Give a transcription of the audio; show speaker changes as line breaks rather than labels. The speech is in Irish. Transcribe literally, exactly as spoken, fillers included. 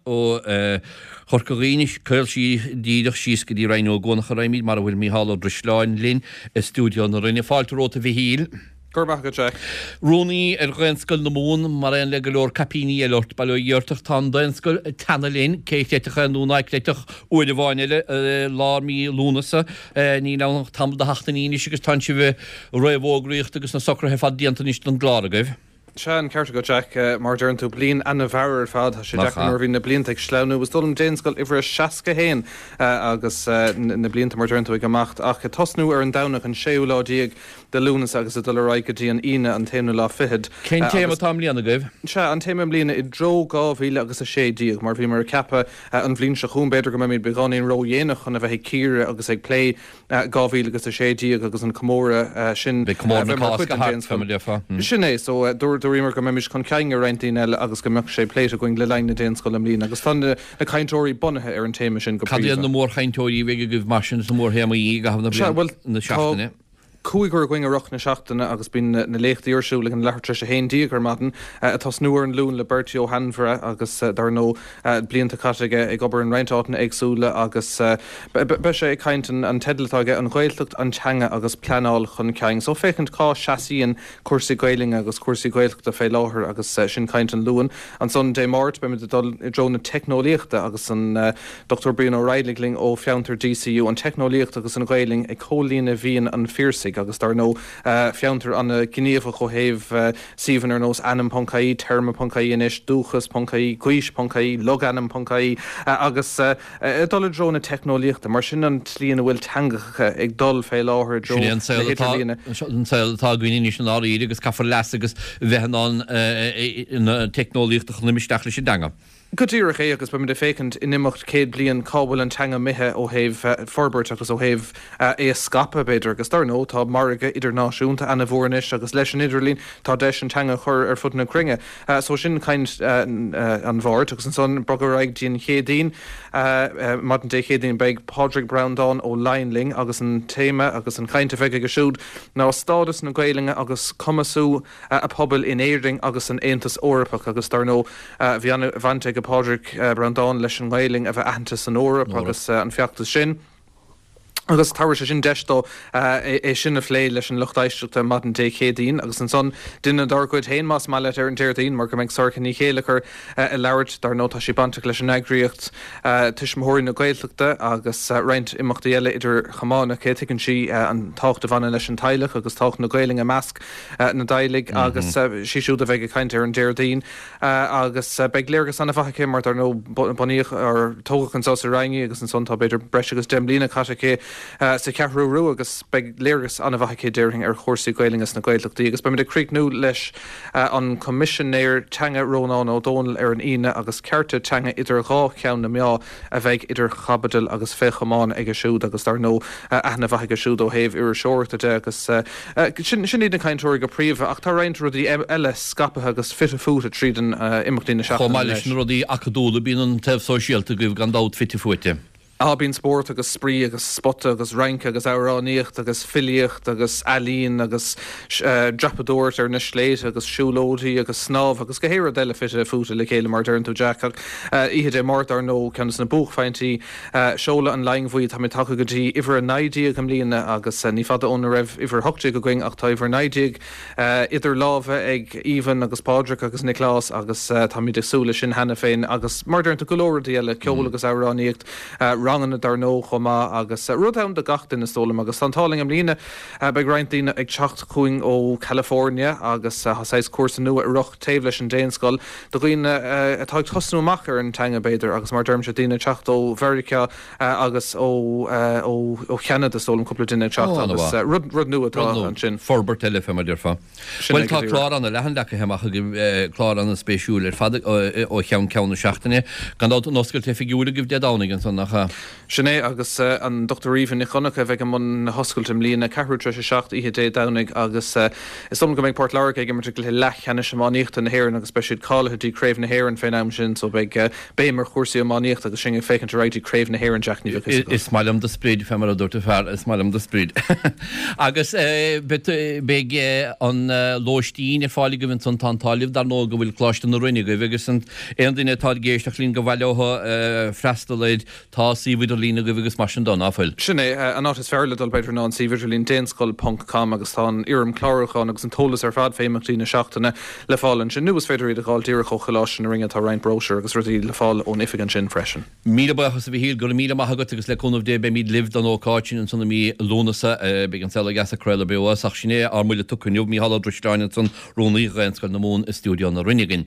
ó Chorca Dhuibhne, caol díreach síos go dtí Rinn Ó gCuanach a raghaimid, mar a bhfuil Mícheál Ó Drisleáin linn i stiúideo na Rinne. Fáilte romhat, a Mhichíl.
Go raibh maith agat, Jack.
Rúnaí ar Dhaonscoil na Mumhan, mar aon le go leor caipíní eile ort, bail ó Dhia ort, ach tá an Daonscoil ag teannadh linn, cé chreidfeadh é nó ná creidfeadh, uair amháin eile, i lár mí Lúnasa. Níl ann ach tamall de sheachtainí anois agus tá sibh ag réamhfhógraíocht agus na socruithe ar fad déanta anois don gclár agaibh.
Sea, an ceart agat, Jack. Mar a deireann tú, bliain ana-mhear ar fad. Tá sé deacair nuair a bhíonn na blianta ag sleamhnú. Is dóigh liom Daonscoil uimhir a seasca haon agus na blianta, mar a deireann tú, ag imeacht. Ach ag tosnú ar an Domhnach an séú lá déag de Lúnasa agus ag dul ar aghaidh go dtí an Aoine an t-aonú lá fichead.
Cén téama atá i mbliana agaibh?
Sea, an téama i mbliana i dtreo dhá mhíle agus a sé déag, mar bhíomar ag ceapadh an bhliain seo chugainn, b'fhéidir go mbeimid beagáinín ródhéanach chun a bheith ag cíoradh agus ag plé dhá mhíle agus a sé déag agus an comóradh sin
Beidh comóradh na Cásca thart, fé mar a déarfá.
Sin é. So, dúramar go mbeimis chun cinn ar roinnt daoine eile agus go mbeadh sé pléite againn le linn na Daonscoile i mbliana agus tá na cainteoirí bunaithe ar an téama sin go
Cad iad
príomha.
na mórchainteoirí a bheidh agaibh mar sin, is na mórthéamaí i gcaitheamh na
Sea,
bliana,
bhuel,
na
tá
seachtaine?
cúigear againn i rith na seachtaine agus bíonn na léachtaí ar siúl ag an leathuair tar éis a haon déag ar maidin, ag tosnú ar an Luan le Bertie Ó hAinmhire agus dar ndóigh blianta caite aige ag obair in roinnt áiteanna éagsúla agus beidh sé ag caint, an teideal atá aige, An Ghaeltacht, an Teanga agus Pleanáil Chun Cinn. So féachaint cá seasaíonn cúrsaí Gaelainne agus cúrsaí Gaeltachta fé láthair agus sin caint an Luain. Ansan Dé Máirt beimid ag dul i dtreo na teicneolaíochta agus an Dochtúir Brian Ó Raghallaigh linn ó Fiontar D C U, an teicneolaíocht agus an Ghaelainn ag comhlíonadh mhian an Phiarsaigh agus dar ndóigh Fiontar an-ghníomhach ó thaobh suíomhanna ar nós ainm ponc I E, téarma ponc I E anois, dúchas ponc I E, gaois ponc I E, logainm ponc I E agus ag dul i dtreo na teicneolaíochta, mar sin an tslí ina bhfuil teangacha ag dul fé láthair i dtreo
Sin é an
na
saol atá
hidirlíne.
an saol atá againn anois i ndáiríre agus caithfear leas agus bheith in ann na teicneolaíocht a chur isteach leis an dteanga.
Go díreach é agus beimid ag féachaint in imeacht céad bliain cá bhfuil an teanga imithe ó thaobh forbairt agus ó thaobh é a scaipeadh b'fhéidir agus dar ndóigh tá margadh idirnáisiúnta an-mhór anois agus leis an idirlíon tá deis an teanga a chur ar fud na cruinne. So sin caint an Mháirt agus ansan bogadh ar aghaidh dtí an Chéadaoin. Maidin Dé Céadaoin beidh Pádraig Breandán Ó Laighin linn agus an téama agus an chaint a bheidh aige siúd ná stádas na Gaelainne agus cumasú a pobail in Éirinn agus san Aontas Eorpach agus dar ndóigh bhí an-bhaint ag Pádraig Breandán leis an nGaelainn a bheith aitheanta san Eoraip agus an feachtas sin. Agus tabharfaidh sé sin deis dó é sin a phlé leis an lucht éisteachta maidin Dé Céadaoin agus ansan duine dár gcuid féin más maith leat ar an Déardaoin mar go mbeidh Sorcha Ní Chéilleachair ag labhairt dar ndóigh tá sí bainteach leis an eagraíocht Tuismitheoirí na Gaeltachta agus roinnt imeachtaí eile idir chamáin aici. Tuigeann sí an tábhacht a bhaineann leis an teaghlach agus tábhacht na Gaelainne i measc na dteaghlach agus sí siúd a bheidh ag caint ar an Déardaoin agus beidh léargas an-mhaith aici mar dar ndóigh bunaíodh ar tógadh anseo sa Rinn í agus ansan tá b'fhéidir breis agus deich mbliana caite aici sa Cheathrú Rua agus beidh léargas an-mhaith aici déarfainn ar chúrsaí Gaelainne sna Gaeltachtaí agus beimid ag críochnú leis an Coimisinéir Teanga Rónán Ó Domhnaill ar an Aoine agus cearta teanga idir dhá cheann na meá a bheidh idir chaibidil agus fé chamán aige siúd agus dar ndóigh aithne mhaith aige siúd ó thaobh iriseoireachta de agus sin sin iad na cainteoirí go príomha ach tá roinnt rudaí eile scaipthe agus fite fuaite tríd an imeachtaí na
Chomh
seachtaine
maith leis
leis.
na rudaí acadúla bíonn an taobh sóisialta agaibh gan dabht fite fuaite.
Á bíonn spórt agus spraoi agus spota agus rince agus amhránaíocht agus filíocht agus ealaín agus dreapadóireacht ar na sléibhte agus siúlóidí agus snámh agus gach rud eile fite fuaite le chéile mar deireann tú Jack ach oíche Dé Máirt dar ndóigh ceann de na buaicphointí seoladh an Laighin Bhuí tá mé tagtha go dtí uimhir a naoi déag i mbliana agus ní fada óna raibh uimhir a hocht déag againn ach tá uimhir a naoi déag idir lámha ag Aoibhinn agus Pádraig agus Nioclás agus táimid ag súil leis sin cheana féin agus mar deireann tú go leor rudaí eile ceol agus amhránaíocht ranganna dar ndóigh chomh maith agus rud ann do gach duine is dóigh liom agus tá an t-ádh linn i mbliana beidh roinnt daoine ag teacht chugainn ó California agus tá saghas cúrsa nua i rith taobh leis an Daonscoil do dhaoine atá ag tosnú amach ar an teanga b'fhéidir agus mar deirimse daoine ag teacht ó Mheiriceá agus ó ó Cheanada is dóigh liom cúpla duine ag teacht agus rud rud nua atá ansin.
Forbairt eile fé mar déarfá. Bhuel tá clár an-leathan leagtha amach agaibh clár an-spéisiúil ar fad ó cheann ceann na seachtaine. Gan dabht an oscailt oifigiúil agaibh Dé Domhnaigh ansan nach ea?
Sin é agus uh, an Dr Aoibhinn Nic Dhonncha a bheidh i mbun na hoscailte i mbliana ceathrú tar éis a seacht oíche Dé Domhnaigh agus uh, is dóigh go mbeidh Port Láirge ag imirt i gcluiche leathcheannais iománaíochta na hÉireann agus beidh siad cáilithe dtí Craobh na hÉireann fén am sin so beidh uh, béim ar chúrsaí iománaíochta agus sin ag féachaint ar aghaidh Craobh na hÉireann Jack ní
Is maith liom do sprid fé mar a dúirt an fear is maith liom do sprid. Agus beidh an lóistín ar fáil agaibh ansan tá an t-ádh libh dar ndóigh go bhfuil Coláiste na Rinne agaibh agus an aon duine atá ag éisteacht linn gur mhaith leo freastal air tá suíomh idirlín agaibh agus mar sin de nach bhfuil.
Sin é an áit is fearr le dul b'fhéidir ná an suíomh idirlín daonscoil ponc com agus tá an fhoirm chlárúcháin agus an t-eolas ar fad fé imeachtaí na seachtaine le fáil ansin nó is féidir iad a fháil díreach ó Choláiste na Rinne tá roinnt bróisiúr agus rudaí le fáil ón oifig ansin freisin.
Míle buíochas a Mhíchíl go raibh míle maith agat agus le cúnamh Dé beimid libh don ócáid sin ansan i mí Lúnasa beidh an Saol Ó Dheas ag craoladh beo as ach sin é ár mbuille tugtha inniu Mícheál Ó Drisleáin ansan Rúnaí Ghaelscoil na Mumhan i stiúideo na Rinne againn.